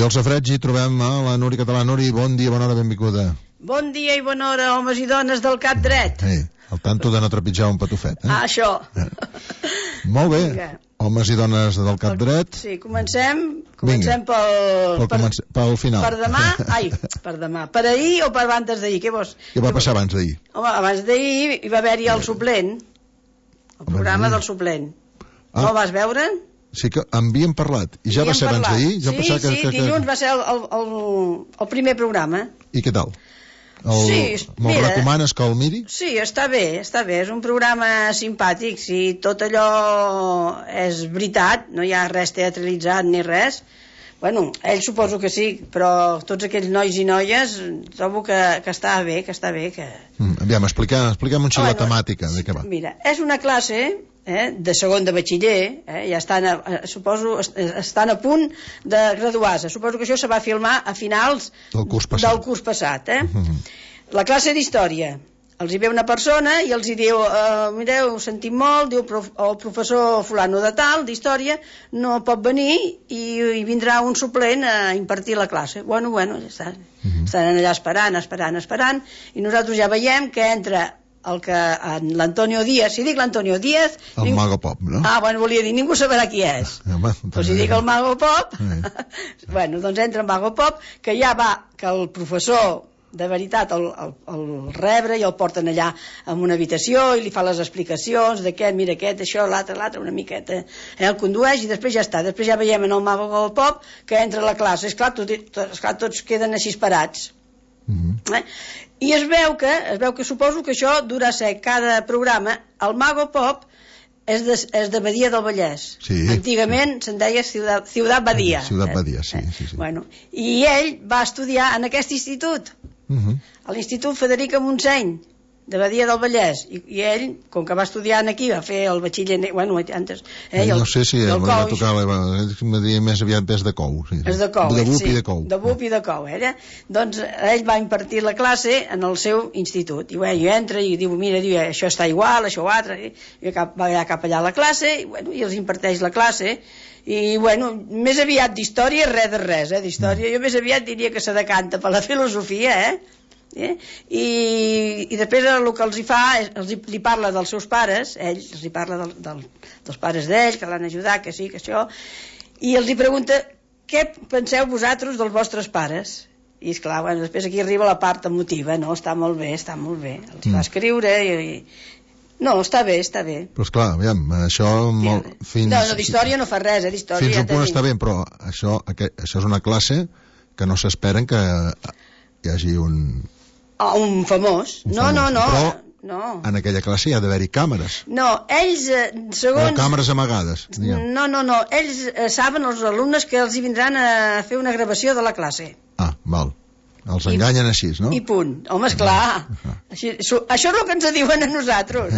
I al safareig hi trobem la Núria Català. Núria, bon dia, bona hora, benvinguda. Bon dia i bona hora, homes i dones del cap dret. Al tanto de no trepitjar un patufet. Això. Molt bé, homes i dones del cap dret. Sí, comencem pel final. Per demà. Per ahir o per abans d'ahir? Què va passar abans d'ahir? Home, abans d'ahir hi va haver-hi el suplent, el programa del suplent. No el vas veure? Sí que en havíem parlat. I ja va ser abans d'ahir? Sí, dilluns va ser el primer programa. I què tal? Me'l recomanes que el miri? Sí, està bé. És un programa simpàtic. Si tot allò és veritat, no hi ha res teatralitzat ni res. Bueno, ell suposo que sí, però tots aquells nois i noies trobo que està bé, Aviam, expliquem un xic la temàtica de què va. Mira, és una classe de segon de batxiller, ja estan a punt de graduar-se. Suposo que això se va filmar a finals del curs passat. La classe d'història. Els hi ve una persona i els hi diu, mireu, ho sentim molt, diu, el professor fulano de tal, d'història, no pot venir i vindrà un suplent a impartir la classe. Bueno, ja està. Estan allà esperant, i nosaltres ja veiem que entra l'Antonio Díaz. Si dic l'Antonio Díaz... El Mago Pop, no? Bueno, volia dir, ningú sabrà qui és. Però si dic el Mago Pop... Bueno, doncs entra el Mago Pop, que ja va, que el professor de veritat el rebre i el porten allà en una habitació i li fa les explicacions d'aquest, mira aquest, això, l'altre, una miqueta, el condueix i després ja està. Després ja veiem en el Mago Pop que entra a la classe. Esclar, tots queden així parats. I es veu que suposo que això durà ser cada programa. El Mago Pop és de Badia del Vallès. Antigament se'n deia Ciutat Badia. Ciutat Badia, sí. I ell va estudiar en aquest institut, a l'Institut Frederica Montseny de Badia del Vallès, i ell, com que va estudiar aquí, va fer el batxiller, antes, no sé si va tocar, més aviat des de Cou, és de Cou, de Bup i de Cou, doncs ell va impartir la classe en el seu institut, i entra i diu, mira, això està igual, això o altre, i va allà cap allà a la classe, i els imparteix la classe, i més aviat d'història res de res, d'història jo més aviat diria que se decanta per la filosofia, i després el que els hi fa li parla dels seus pares, els hi parla dels pares d'ells, que l'han ajudat, que sí, que això, i els hi pregunta què penseu vosaltres dels vostres pares. I esclar, després aquí arriba la part emotiva, no? Està molt bé, els hi va escriure no, està bé. Però esclar, aviam, això... No, d'història no fa res, d'història... Fins un punt està bé, però això és una classe que no s'esperen que hi hagi un famós. No. Però en aquella classe hi ha d'haver-hi càmeres. No, ells, segons... O càmeres amagades. No, ells saben, els alumnes, que els hi vindran a fer una gravació de la classe. Val. Els enganyen així, no? I punt. Home, esclar. Això és el que ens diuen a nosaltres,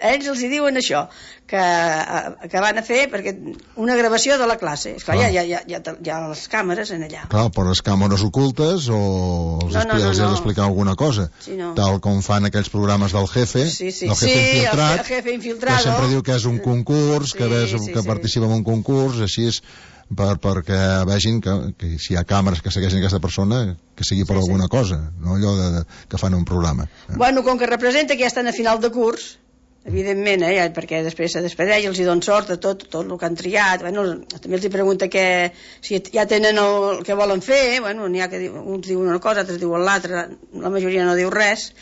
Ells els hi diuen això, que van a fer perquè una gravació de la classe. Esclar, hi ha les càmeres en allà. Clar, però les càmeres ocultes o els has d'explicar alguna cosa. Tal com fan aquells programes del Jefe, del Jefe Infiltrat, que sempre diu que és un concurs, que participa en un concurs, així és... perquè vegin que si hi ha càmeres que segueixen aquesta persona, que sigui per alguna cosa, no allò que fan un programa. Com que representa que ja estan a final de curs, evidentment, perquè després se despedeix, els hi donen sort de tot el que han triat, també els hi pregunta si ja tenen el que volen fer, n'hi ha que uns diuen una cosa, altres diuen l'altra, la majoria no diu res,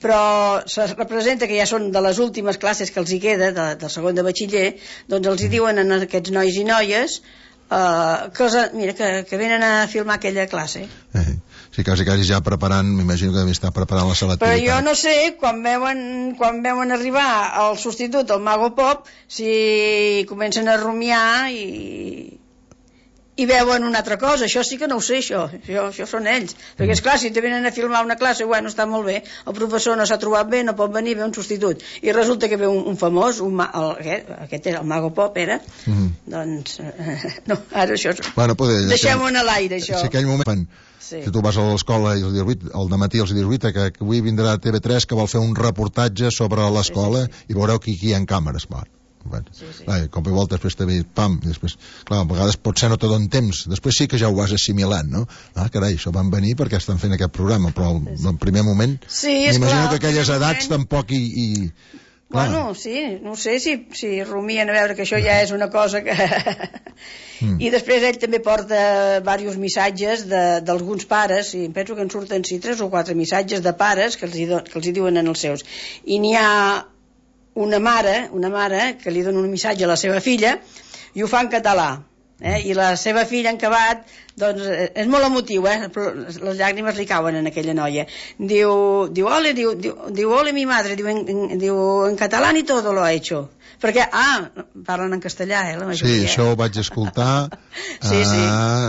però se representa que ja són de les últimes classes que els hi queda, del segon de batxiller, doncs els hi diuen a aquests nois i noies que venen a filmar aquella classe. Sí, quasi ja preparant, m'imagino que devia estar preparant la selectivitat. Però jo no sé, quan veuen arribar el substitut, el Mago Pop, si comencen a rumiar i veuen una altra cosa. Això sí que no ho sé, això són ells, perquè esclar, si te venen a filmar una classe, està molt bé, el professor no s'ha trobat bé, no pot venir, ve un substitut, i resulta que ve un famós, aquest era el Mago Pop, doncs no, ara això deixem-ho a l'aire, això. Si aquell moment, si tu vas a l'escola i al dematí els dius, que avui vindrà TV3 que vol fer un reportatge sobre l'escola i veureu que aquí hi ha càmeres, cop i volta després també, pam, i després, clar, a vegades potser no te donen temps, després sí que ja ho vas assimilant, no? Carai, això van venir perquè estan fent aquest programa, però en primer moment m'imagino que aquelles edats tampoc Bueno, sí, no sé si rumien a veure que això ja és una cosa que... I després ell també porta diversos missatges d'alguns pares, i em penso que en surten 3 o 4 missatges de pares que els hi diuen en els seus. I n'hi ha una mare que li dona un missatge a la seva filla i ho fa en català. I la seva filla en acabat, doncs és molt emotiu, les llàgrimes li cauen en aquella noia. Diu ole mi madre, diu en català ni todo lo ha hecho, perquè parlen en castellà, la majoria. Sí, això ho vaig escoltar.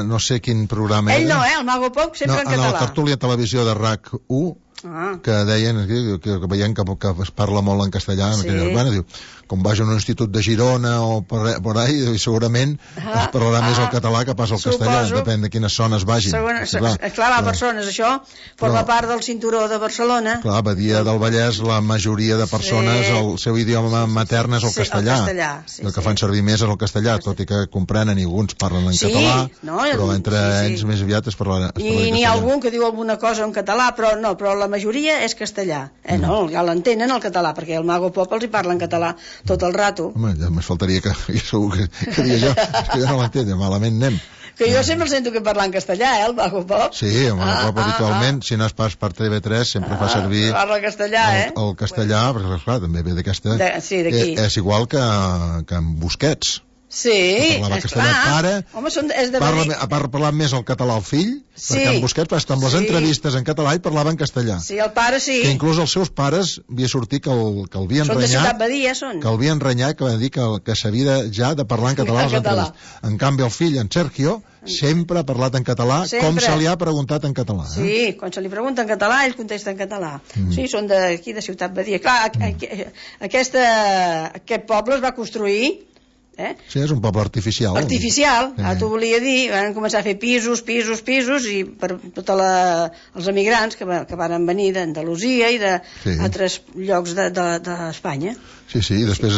No sé quin programa ell no, el Mago Pop sempre en català. En la tertúlia televisió de RAC1 que deien que veiem que es parla molt en castellà, diu, com vagi a un institut de Girona o per ahí, segurament es parlarà més el català que pas el castellà, depèn de quines zones vagin. Clar, va a persones, això forma part del cinturó de Barcelona. Clar, Badia del Vallès, la majoria de persones, el seu idioma matern és el castellà. El que fan servir més és el castellà, tot i que comprenen i alguns parlen en català, però entre ells més aviat es parla i n'hi ha algun que diu alguna cosa en català, però la majoria és castellà. No, ja l'entenen el català, perquè el Mago Pop els hi parla en català tot el rato. Home, ja més faltaria que segur que diria jo, és que jo no l'entenc, malament anem. Que jo sempre el sento que parla en castellà, el Mago Pop. Sí, el Mago Pop habitualment, si no és pas per TV3, sempre fa servir el castellà, el castellà, perquè clar, també ve d'aquesta... Sí, d'aquí. És igual que en Busquets. Sí, és clar. Home, ha parlat més el català al fill, perquè en Busquets, amb les entrevistes en català, ell parlava en castellà. Sí, el pare sí. Que inclús els seus pares havia sortit que el havien renyat. Són de Ciutat Badia, són. Que el havien renyat, que va dir que s'havia ja de parlar en català a les entrevistes. En canvi, el fill, en Sergio, sempre ha parlat en català, com se li ha preguntat en català. Sí, quan se li pregunta en català, ell contesta en català. Sí, són d'aquí, de Ciutat Badia. Clar, aquest poble es va construir... Sí, és un poble artificial. T'ho volia dir, van començar a fer pisos, i per tots els emigrants que van venir d'Andalusia i d'altres llocs d'Espanya. Sí, i després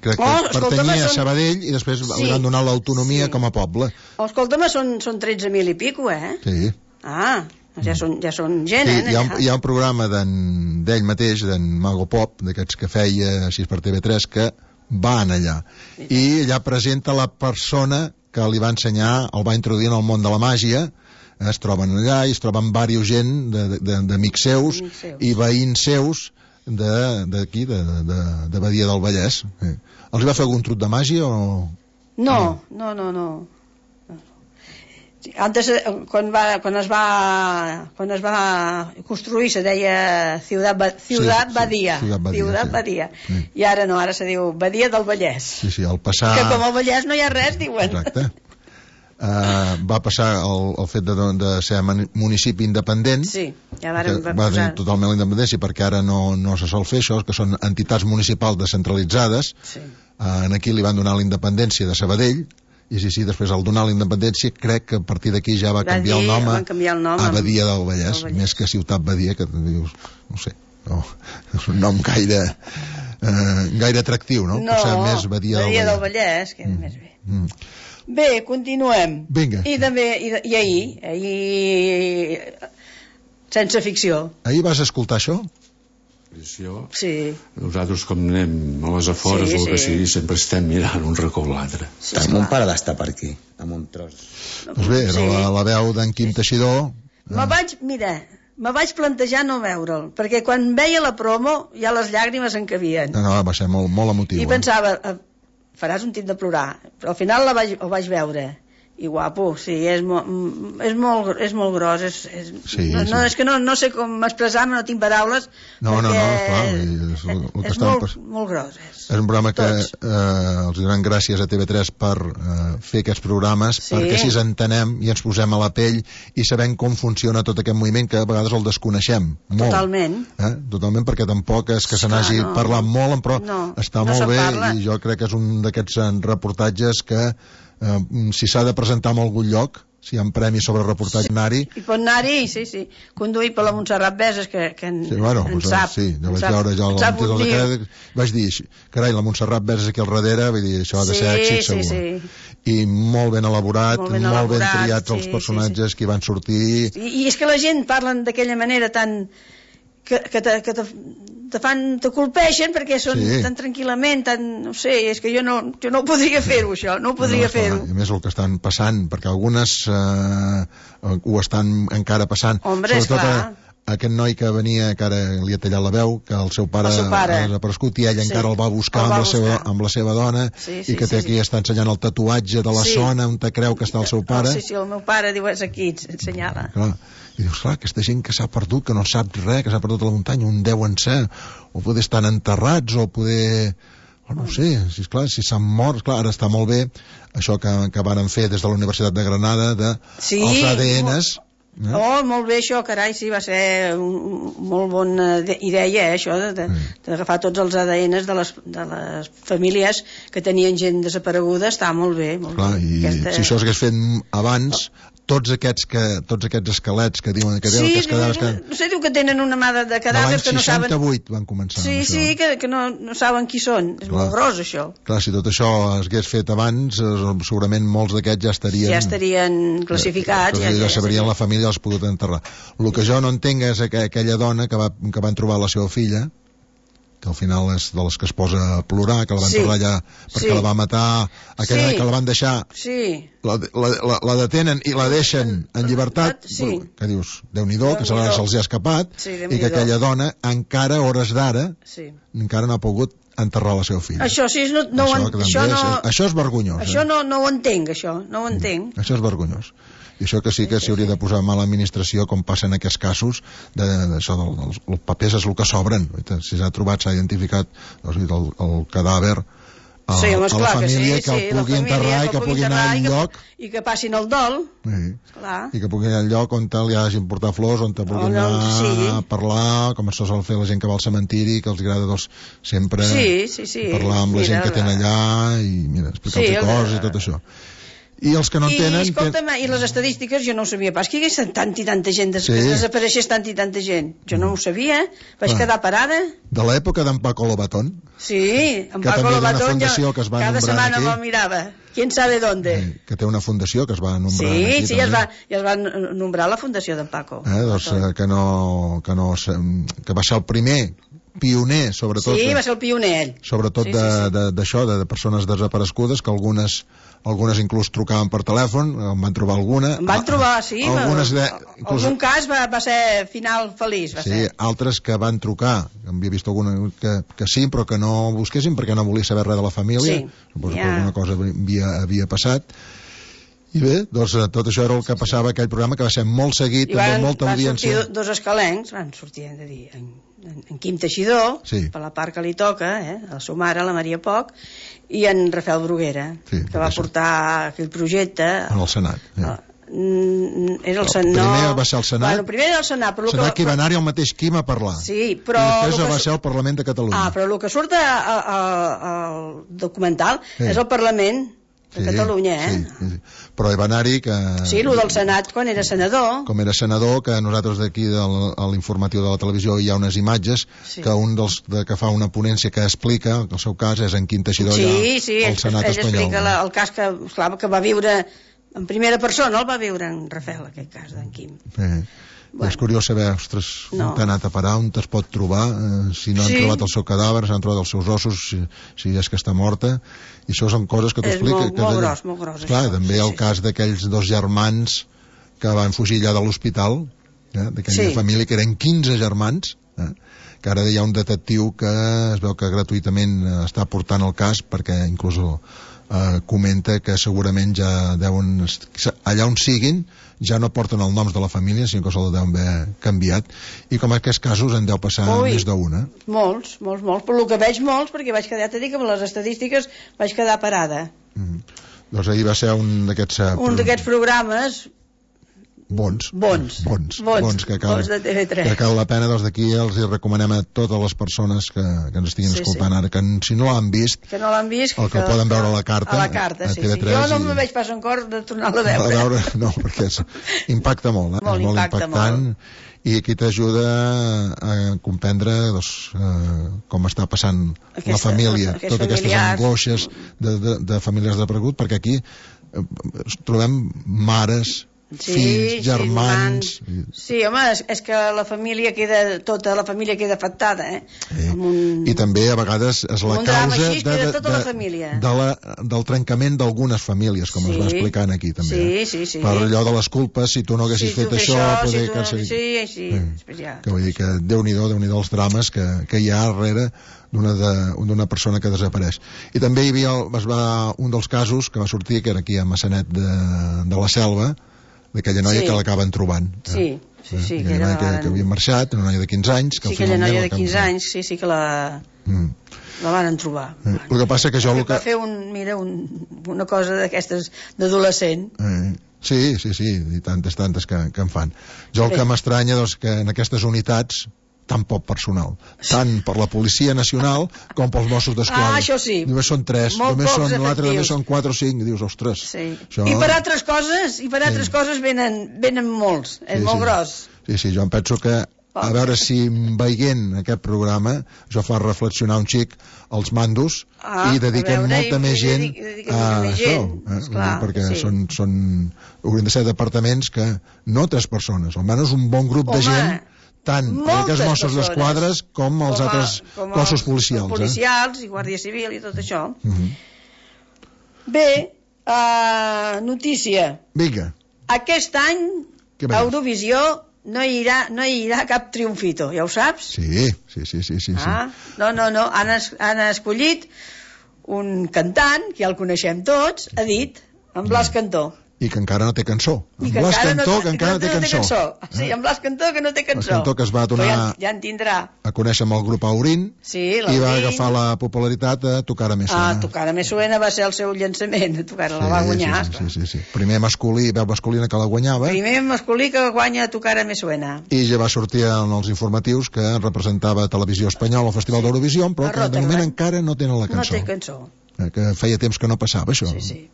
crec que pertanyia a Sabadell i després li van donar l'autonomia com a poble. Escolta'm, són 13.000 i pico, Sí. Ja són gent, Hi ha un programa d'ell mateix, d'en Mago Pop, d'aquests que feia així per TV3, que van allà i allà presenta la persona que li va ensenyar, el va introduir en el món de la màgia. Es troben allà i es troben diversos gent d'amics seus i veïns seus d'aquí, de Badia del Vallès. Els va fer algun truc de màgia o...? No. Antes, quan es va construir se deia Ciutat Badia. I ara no, ara se diu Badia del Vallès. Sí, al passar... Que com al Vallès no hi ha res, diuen. Exacte. Va passar el fet de ser municipi independent. Sí, ja va tenir totalment la independència, perquè ara no se sol fer això, que són entitats municipals descentralitzades. Aquí li van donar la independència de Sabadell, i sí, després al donar la independència crec que a partir d'aquí ja va canviar el nom a Badia del Vallès, més que Ciutat Badia, que dius, no sé, és un nom gaire atractiu, no? Potser més Badia del Vallès, que és més bé. Bé, continuem. Vinga. I ahir sense ficció. Ahir vas escoltar això? Sí. Nosaltres, com anem a les afores o el que sigui, sempre estem mirant un racó o l'altre. Mon pare d'estar per aquí, amb un tros. Doncs bé, era la veu d'en Quim Teixidor. Me vaig plantejar no veure'l, perquè quan veia la promo ja les llàgrimes en cabien. No, va ser molt emotiu. I pensava, faràs un tip de plorar, però al final el vaig veure. I guapo, sí, és molt gros, és que no sé com expressar-me, no tinc paraules, és molt gros. És un programa que els donem gràcies a TV3 per fer aquests programes, perquè així entenem i ens posem a la pell i sabem com funciona tot aquest moviment, que a vegades el desconeixem molt. Totalment, perquè tampoc és que se n'hagi parlat molt, però està molt bé, i jo crec que és un d'aquests reportatges que si s'ha de presentar en algun lloc si hi ha premis sobre reportatge, anar-hi. I pot anar-hi, sí. Conduir per la Montserrat Beses, que en sap. Sí, jo vaig veure ja el títol de crèdit, vaig dir, carai, la Montserrat Beses aquí al darrere, vull dir, això ha de ser èxit segur. Sí. I molt ben elaborat, molt ben triats els personatges que hi van sortir. I és que la gent parlen d'aquella manera tan... que te colpeixen perquè són tan tranquil·lament, no sé, és que jo no ho podria fer-ho, això, no ho podria fer-ho. I més el que estan passant, perquè algunes ho estan encara passant. Hombre, sobretot aquest noi que venia, que ara li ha tallat la veu, que el seu pare ha desaparegut i ell encara el va buscar amb la seva dona, i que té aquí, està ensenyant el tatuatge de la zona on te creu que està el seu pare. Sí, el meu pare diu, és aquí, ensenyala. Clar. I dius, clar, aquesta gent que s'ha perdut, que no sap res, que s'ha perdut a la muntanya, on deuen ser, o poder estar enterrats, o poder... no sé, si s'han mort, clar, ara està molt bé això que varen fer des de la Universitat de Granada, els ADNs... molt bé això, carai, sí, va ser molt bona idea, això, d'agafar tots els ADNs de les famílies que tenien gent desapareguda, està molt bé. Clar, i si això s'hagués fet abans... tots aquests esquelets que diuen que cadàvers no sé, diu que tenen una mà de cadàvers que no saben... L'any 68 van començar amb això. Sí, que no saben qui són. És molt gros, això. Clar, si tot això s'hagués fet abans, segurament molts d'aquests ja estarien classificats. Ja sabrien la família, els pogut enterrar. El que jo no entenc és aquella dona que van trobar la seva filla, que al final és de les que es posa a plorar, que la van tornar allà perquè la va matar, aquella que la van deixar, la detenen i la deixen en llibertat, que dius, Déu-n'hi-do, que se'ls ha escapat, i que aquella dona encara, hores d'ara, encara no ha pogut enterrar la seva filla. Això sí, això és vergonyós. Això no ho entenc, això, no ho entenc. Això és vergonyós. I això que sí que s'hi hauria de posar mala administració, com passa en aquests casos, d'això dels papers és el que sobren. Si s'ha trobat, s'ha identificat el cadàver a la família, que el pugui enterrar i que pugui anar al lloc... I que passin el dol. I que pugui anar al lloc on li hagin portat flors, on pugui anar a parlar, com això sol fer la gent que va al cementiri, que els agrada sempre parlar amb la gent que tenen allà i explicar-los coses i tot això. I els que no en tenen... I les estadístiques jo no ho sabia pas, que hi hagués tanta i tanta gent, que desapareixés tanta i tanta gent. Jo no ho sabia, vaig quedar parada. De l'època d'en Paco Lobatón. Sí, en Paco Lobatón cada setmana me'l mirava. ¿Quién sabe dónde? Que té una fundació que es va nombrar aquí. Sí, es va nombrar la fundació d'en Paco. Que va ser el primer pioner, sobretot... Sí, va ser el pioner, ell. Sobretot d'això, de persones desaparegudes, que algunes inclús trucaven per telèfon, en van trobar alguna. En van trobar, sí. Algun cas va ser final feliç. Sí, altres que van trucar, havia vist alguna que sí, però que no busquessin perquè no volia saber res de la família. Suposo que alguna cosa havia passat. I bé, doncs tot això era el que passava aquell programa, que va ser molt seguit, amb molta audiència. Van sortir dos escalencs, van sortir, hem de dir, en Quim Teixidor, per la part que li toca, la seva mare, la Maria Poch, i en Rafael Bruguera, que va portar aquell projecte en el Senat. Era el Senat. Primer va ser el Senat. Bueno, primer era el Senat, però Senat que hi va anar-hi el mateix Quim a parlar. Sí, però... I després va ser el Parlament de Catalunya. Però el que surt al documental és el Parlament de Catalunya, Sí. Però hi va anar-hi que... Sí, el del Senat, quan era senador. Com era senador, que nosaltres d'aquí, a l'informatiu de la televisió, hi ha unes imatges que un dels que fa una ponència que explica, el seu cas és en Quim Teixidor, al Senat espanyol. Ell explica el cas que va viure en primera persona, el va viure en Rafael, aquest cas d'en Quim. És curiós saber, ostres, on t'ha anat a parar, on es pot trobar, si no han trobat el seu cadàver, si han trobat els seus ossos, si és que està morta, i això són coses que t'explica. És molt gros. Clar, també el cas d'aquells dos germans que van fugir allà de l'hospital, d'aquella família, que eren 15 germans, que ara hi ha un detectiu que es veu que gratuïtament està portant el cas, perquè inclús comenta que segurament ja deuen, allà on siguin, ja no porten els noms de la família, sinó que se'l deuen haver canviat, i com aquests casos en deu passar més d'una. Molts, per el que veig molts, perquè vaig quedar, t'he dit que amb les estadístiques vaig quedar parada. Doncs ahir va ser un d'aquests programes Bons de TV3. Que cal la pena, doncs d'aquí els hi recomanem a totes les persones que ens estiguin escoltant ara, que si no l'han vist, que el poden veure a la carta, a TV3. Jo no me veig pas en cor de tornar-la a veure. No, perquè impacta molt, és molt impactant, i aquí t'ajuda a comprendre com està passant la família, totes aquestes angoixes de famílies desaparegut, perquè aquí trobem mares, fills, germans... Sí, home, és que tota la família queda afectada, I també a vegades és la causa del trencament d'algunes famílies, com es va explicant aquí també. Sí. Per allò de les culpes, si tu no haguessis fet això... Que vull dir que Déu-n'hi-do els drames que hi ha darrere d'una persona que desapareix. I també hi havia un dels casos que va sortir, que era aquí a Massanet de la Selva, d'aquella noia que l'acaben trobant. Sí. Aquella noia que havia marxat, una noia de 15 anys. Sí, aquella noia de 15 anys, sí que la van trobar. El que passa que jo... Va fer una cosa d'aquestes d'adolescent. Sí, i tantes que en fan. Jo el que m'estranya és que en aquestes unitats tan poc personal, tant per la Policia Nacional com pels Mossos d'Esquadra. Això sí. Només són 3, l'altre només són 4 o 5, dius, ostres. Això... I per altres coses venen molts, és molt gros. Sí, jo em penso que a veure si veient aquest programa això fa reflexionar un xic els mandos i dediquem molta més gent a això, perquè haurien de ser departaments que no 3 persones, almenys un bon grup de gent, tant els Mossos d'Esquadra com els altres cossos policials. Policials i Guàrdia Civil i tot això. Bé, notícia. Vinga. Aquest any a Eurovisió no hi haurà cap triomfito, ja ho saps? Sí. No, han escollit un cantant, que ja el coneixem tots, Edit, en Blas Cantó. I que encara no té cançó. En Blas Cantó, que encara no té cançó. Sí, en Blas Cantó, que no té cançó. Blas Cantó, que es va donar ja en tindrà a conèixer amb el grup Aurín, i va agafar la popularitat a Tocara Me Suena. Tocara Me Suena va ser el seu llançament, la va guanyar. Sí. Primer masculí, veu masculina que la guanyava. Primer masculí que guanya Tocara Me Suena. I ja va sortir en els informatius que representava Televisió Espanyola al Festival d'Eurovisió, però que de moment encara no tenen la cançó. No té cançó. Que feia temps que no passava això. Sí.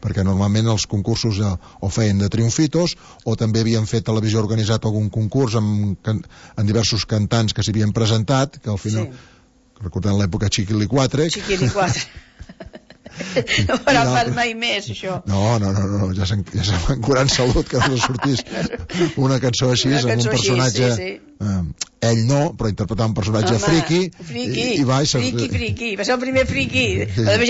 Perquè normalment els concursos o feien de triomfitos o també havien fet televisió organitzat algun concurs amb diversos cantants que s'hi havien presentat, que al final recordem l'època Chiquilicuatre no farà pas mai més això. No, ja se'n van curar en salut que no sortís una cançó així amb un personatge ell no, però interpretar un personatge friki i va ser el primer friki.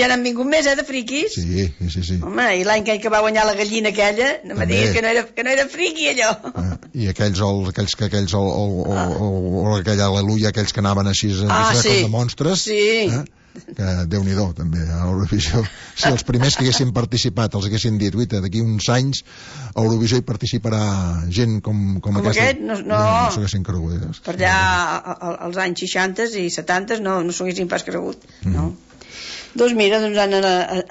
Ja n'han vingut més de friquis. Sí. Home, i l'any que va guanyar la gallina aquella no me diguis que no era friki allò. I aquells o aquella aleluia, aquells que anaven així de monstres, que Déu-n'hi-do també a Eurovisió. Si els primers que haguessin participat els haguessin dit, uita, d'aquí uns anys a Eurovisió hi participarà gent com aquest, no s'ho haguessin cregut. Per allà als anys 60 i 70 no s'ho haguessin pas cregut, no? Doncs mira, han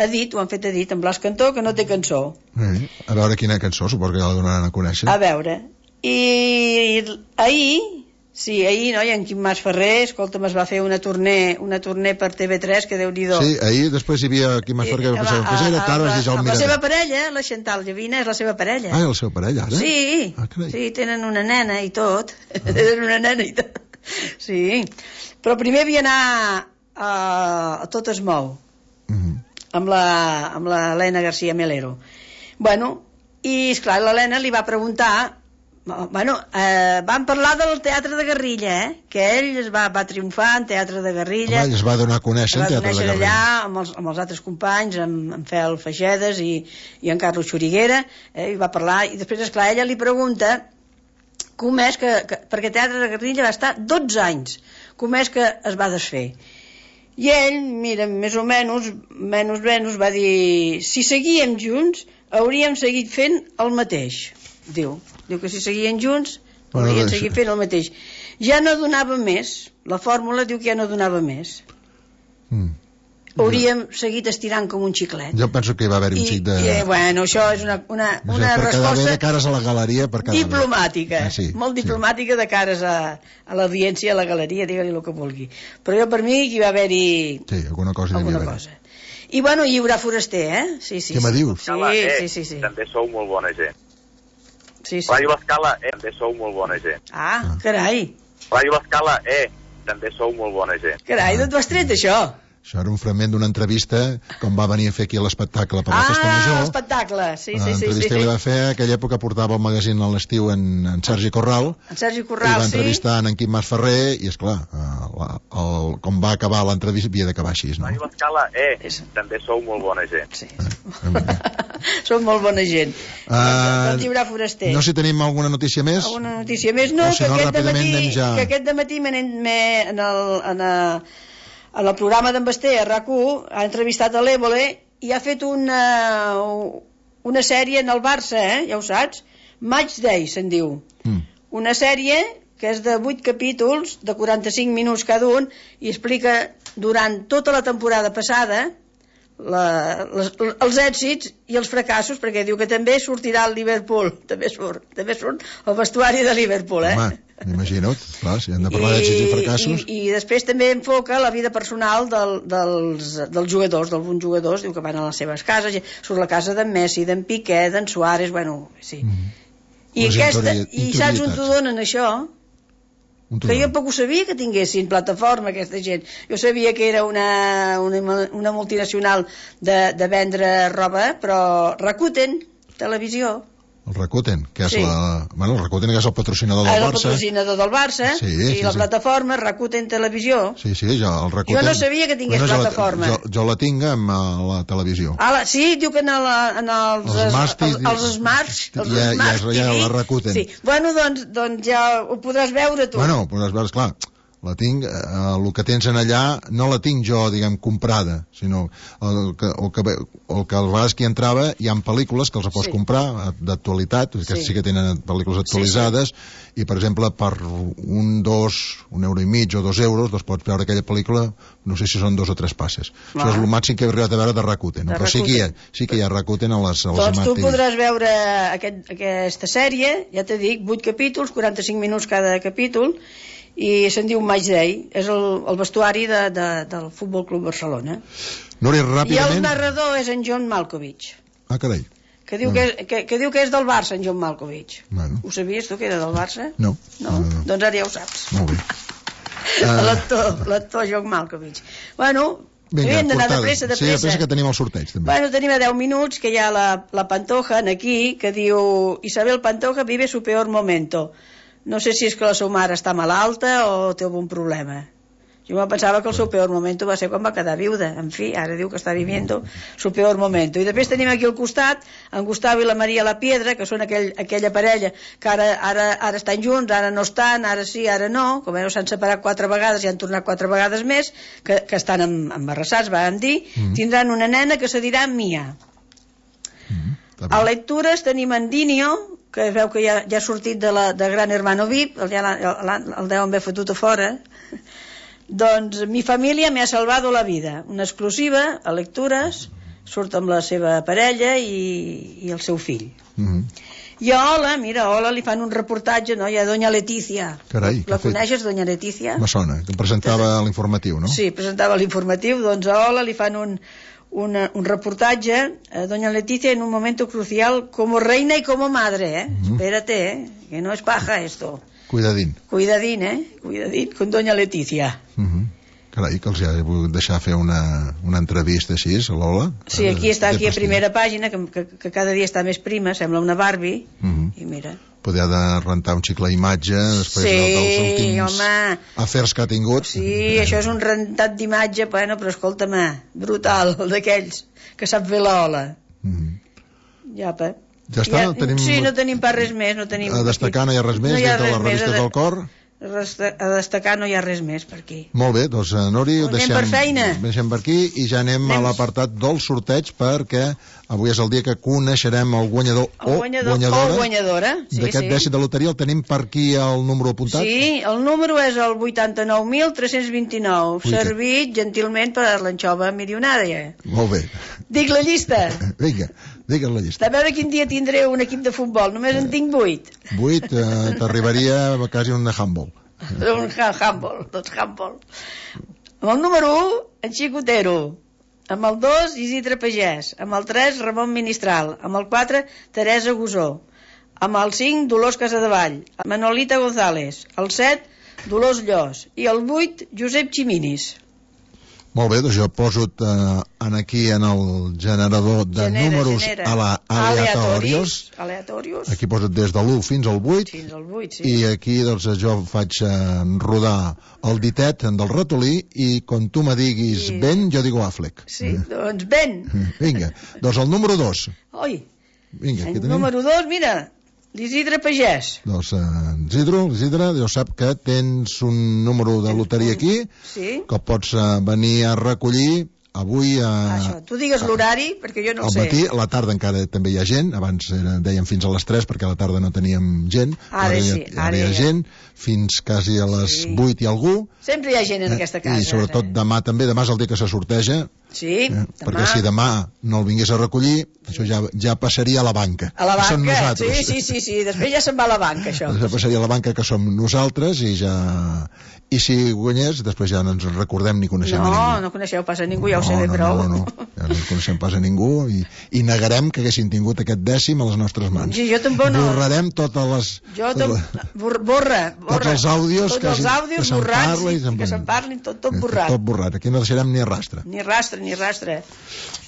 Edit, ho han fet Edit amb Blas Cantó, que no té cançó. A veure quina cançó, suposo que ja la donaran a conèixer. A veure, i ahir, no? I en Quim Mas Ferrer, escolta'm, es va fer una tournée per TV3, que Déu-n'hi-do. Sí, ahir després hi havia Quim Mas Ferrer, que era tard, la seva parella, la Chantal Llavina, és la seva parella. Ah, és la seva parella, ara? Sí, tenen una nena i tot. Sí, però primer havia anar a Tot es mou, amb l'Helena García Melero. Bueno, i esclar, l'Helena li va preguntar. Van parlar del teatre de guerrilla, que ell va triomfar en teatre de guerrilla. Ell es va donar a conèixer en teatre de guerrilla allà amb els altres companys, amb Fel Feixedes i en Carlos Xuriguera, i va parlar, i després, esclar, ella li pregunta com és que perquè teatre de guerrilla va estar 12 anys, com és que es va desfer. I ell, mira, més o menys va dir, si seguíem junts hauríem seguit fent el mateix. Diu que si seguien junts haurien seguit fent el mateix. Ja no donava més, la fórmula diu que ja no donava més. hauríem seguit estirant com un xiclet. Jo penso que hi va haver un xic de... Bueno, això és una resposta de cares a la galeria, diplomàtica, molt diplomàtica de cares a l'audiència, a la galeria, digue-li el que vulgui. Però jo, per mi, hi va haver-hi... Sí, alguna cosa. I bueno, hi haurà foraster, Sí. Què me dius? Sí. També sou molt bona gent. Sí. Ràdio L'Escala, també sou molt bona gent. Ah, carai. Ràdio L'Escala, també sou molt bona gent. Carai, d'on t'ho has tret, això? Això era un fragment d'una entrevista com va venir a fer aquí a l'espectacle per la Festa Major. L'espectacle, sí. L'entrevista que li va fer, aquella època portava el magazín a l'estiu en Sergi Corral. En Sergi Corral, i va entrevistar en Quim Masferrer i, esclar, com va acabar l'entrevista havia d'acabar així, no? Ràdio L'Escala, també sou molt bona gent. Sí. Som molt bona gent. Doncs hi haurà foraster. No sé si tenim alguna notícia més? Alguna notícia més? No, que aquest dematí en el programa d'en Basté, a RAC1, ha entrevistat a l'Évole i ha fet una sèrie en el Barça, ja ho saps, Match Day, se'n diu. Una sèrie que és de 8 capítols, de 45 minuts cada un, i explica durant tota la temporada passada els èxits i els fracassos, perquè diu que també sortirà el Liverpool, també surt el vestuari de Liverpool, Home, m'imagino, clar, si han de parlar d'èxits i fracassos. I després també enfoca la vida personal dels jugadors, d'alguns jugadors, diu que van a les seves cases, surt la casa d'en Messi, d'en Piqué, d'en Suárez, bueno, sí. I saps on t'ho donen, això? Que jo poc ho sabia que tinguessin plataforma aquesta gent. Jo sabia que era una multinacional de vendre roba, però Rakuten, televisió. El Rakuten, que és el Rakuten és el patrocinador del Barça. El patrocinador del Barça i la plataforma Rakuten Televisió. Sí, el Rakuten. Jo no sabia que tingués plataforma. Jo la tinc amb la televisió. Sí, diu que en els Smarts hi ha la Rakuten. Sí, bueno, doncs ja ho podràs veure tu. Bueno, podràs veure, esclar, la tinc, el que tens en allà no la tinc jo, diguem, comprada, sinó el que a vegades que hi entrava hi ha pel·lícules que els pots comprar d'actualitat, que sí que tenen pel·lícules actualitzades, i per exemple per €1,5 o €2 doncs pots veure aquella pel·lícula, no sé si són 2 o 3 passes. Això és el màxim que he arribat a veure de Rakuten, però sí que hi ha Rakuten a les doncs tu podràs veure aquesta sèrie, ja t'he dit, 8 capítols, 45 minuts cada capítol, i se'n diu Match Day, és el vestuari del Futbol Club Barcelona. Núria, ràpidament. I el narrador és en John Malkovich. Ah, carai. Que diu que és del Barça, en John Malkovich. Bueno. Ho sabies tu que era del Barça? No. Doncs ara ja ho saps. Molt bé. L'actor John Malkovich. Bueno, vinga, hem d'anar de pressa. Sí, de pressa que tenim el sorteig també. Bueno, tenim a 10 minuts que hi ha la Pantoja aquí, que diu Isabel Pantoja vive su peor momento. No sé si és que la seva mare està malalta o té algun problema. Jo me pensava que el seu peor moment va ser quan va quedar viuda. En fi, ara diu que està viviendo su peor moment. I després tenim aquí al costat en Gustavo i la Maria La Piedra, que són aquella parella que ara estan junts, ara no estan, ara sí, ara no. Com s'han separat 4 vegades i han tornat 4 vegades més, que estan embarassats, vam dir. Tindran una nena que se dirà Mia. A lectures tenim en Dinio, que es veu que ja ha sortit de Gran Hermano VIP, el deuen haver fotut a fora. Doncs Mi família me ha salvado la vida, una exclusiva a lectures, surt amb la seva parella i el seu fill. I a Hola, mira, a Hola li fan un reportatge, no? Hi ha Doña Letícia. Carai, la coneixes, Doña Letícia? Me sona, que presentava l'informatiu, no? Sí, presentava l'informatiu, doncs a Hola li fan un reportatge a Doña Leticia en un momento crucial como reina y como madre, espérate, que no es paja esto. Cuidadín, con Doña Leticia. Carai, que els he volgut deixar fer una entrevista així, a l'Ola. Sí, aquí està, aquí a primera pàgina, que cada dia està més prima, sembla una Barbie, i mira. Poder de rentar un xicle d'imatge després dels últims afers que ha tingut. Sí, això és un rentat d'imatge, bueno, però escolta'm, brutal, d'aquells que sap fer l'Ola. Ja està? Sí, no tenim pas res més. A destacar no hi ha res més, des de les revistes del cor? A destacar no hi ha res més per aquí. Molt bé, doncs Nori, ho deixem per aquí i ja anem a l'apartat del sorteig, perquè avui és el dia que coneixerem el guanyador o guanyadora d'aquest dècim de loteria. El tenim per aquí el número apuntat? Sí, el número és el 89.329, servit gentilment per l'anxova milionària. Molt bé. Dic la llista. Vinga, digues la llista. A veure quin dia tindré un equip de futbol, només en tinc 8. 8, t'arribaria quasi un de handball. Un handball, tots handball. Amb el número 1, en Xicotero. Amb el 2, Isidre Pagès. Amb el 3, Ramon Ministral. Amb el 4, Teresa Gusó. Amb el 5, Dolors Casadevall. Manolita González. El 7, Dolors Llos. I el 8, Josep Ximinis. Molt bé, doncs jo poso aquí en el generador de números aleatoris. Aquí poso des de l'1 fins al 8. Fins al 8, sí. I aquí doncs jo faig rodar el ditet del ratolí i quan tu me diguis Ben, jo digo Affleck. Sí, doncs Ben. Vinga, doncs el número 2. Oi, vinga, el número 2, mira, l'Isidre Pagès. Doncs l'Isidre, jo sap que tens un número de loteria aquí, que pots venir a recollir avui Això, tu digues l'horari, perquè jo no ho sé. Al matí, a la tarda encara també hi ha gent, abans dèiem fins a les 3 perquè a la tarda no teníem gent, ara hi ha gent, fins quasi a les 8 i algú. Sempre hi ha gent en aquesta casa. I sobretot demà també, demà és el dia que se sorteja. Sí, demà. Perquè si demà no el vingués a recollir, això ja passaria a la banca. A la banca, sí, després ja se'n va a la banca, això. Ja passaria a la banca, que som nosaltres, i ja... I si guanyés, després ja no ens recordem ni coneixem a ningú. No coneixeu pas a ningú, ja ho sé bé prou. No, ja no coneixem pas a ningú i negarem que haguessin tingut aquest dècim a les nostres mans. Sí, jo tampoc no. Borrarem totes les... Tots els àudios que se'n parlin, tot borrat. Tot borrat, aquí no deixarem ni rastre. Ni rastre.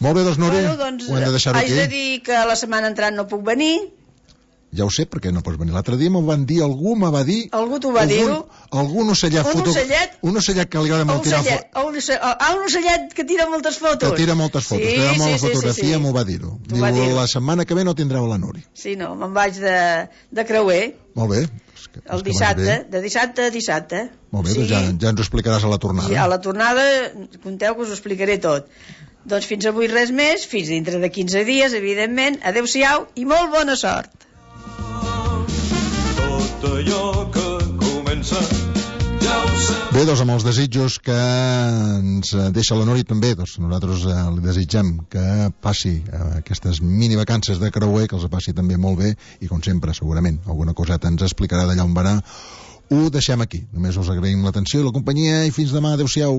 Molt bé, doncs, Nori, ho hem de deixar aquí. Haig de dir que la setmana entrant no puc venir. Ja ho sé, perquè no pots venir. L'altre dia m'ho van dir, algú m'ho va dir... Algú t'ho va dir-ho? Algun ocellet... Un ocellet que li agrada molt tirar fotos. Un ocellet que tira moltes fotos. Que tira moltes fotos, que tira molta fotografia, m'ho va dir-ho. Diu, la setmana que ve no tindreu la Nori. Sí, no, me'n vaig de creuer. Molt bé. El dissabte, de dissabte a dissabte. Molt bé, doncs ja ens ho explicaràs a la tornada. Sí, a la tornada, conteu que us ho explicaré tot. Doncs fins avui res més, fins dintre de 15 dies, evidentment. Adéu-siau i molt bona sort. Allò que comença ja ho sé. Bé, doncs amb els desitjos que ens deixa la Nori també, doncs nosaltres li desitgem que passi aquestes mini vacances de creuer, que els passi també molt bé i com sempre segurament alguna coseta ens explicarà d'allà on va anar. Ho deixem aquí, només us agraïm l'atenció i la companyia i fins demà, adeu-siau.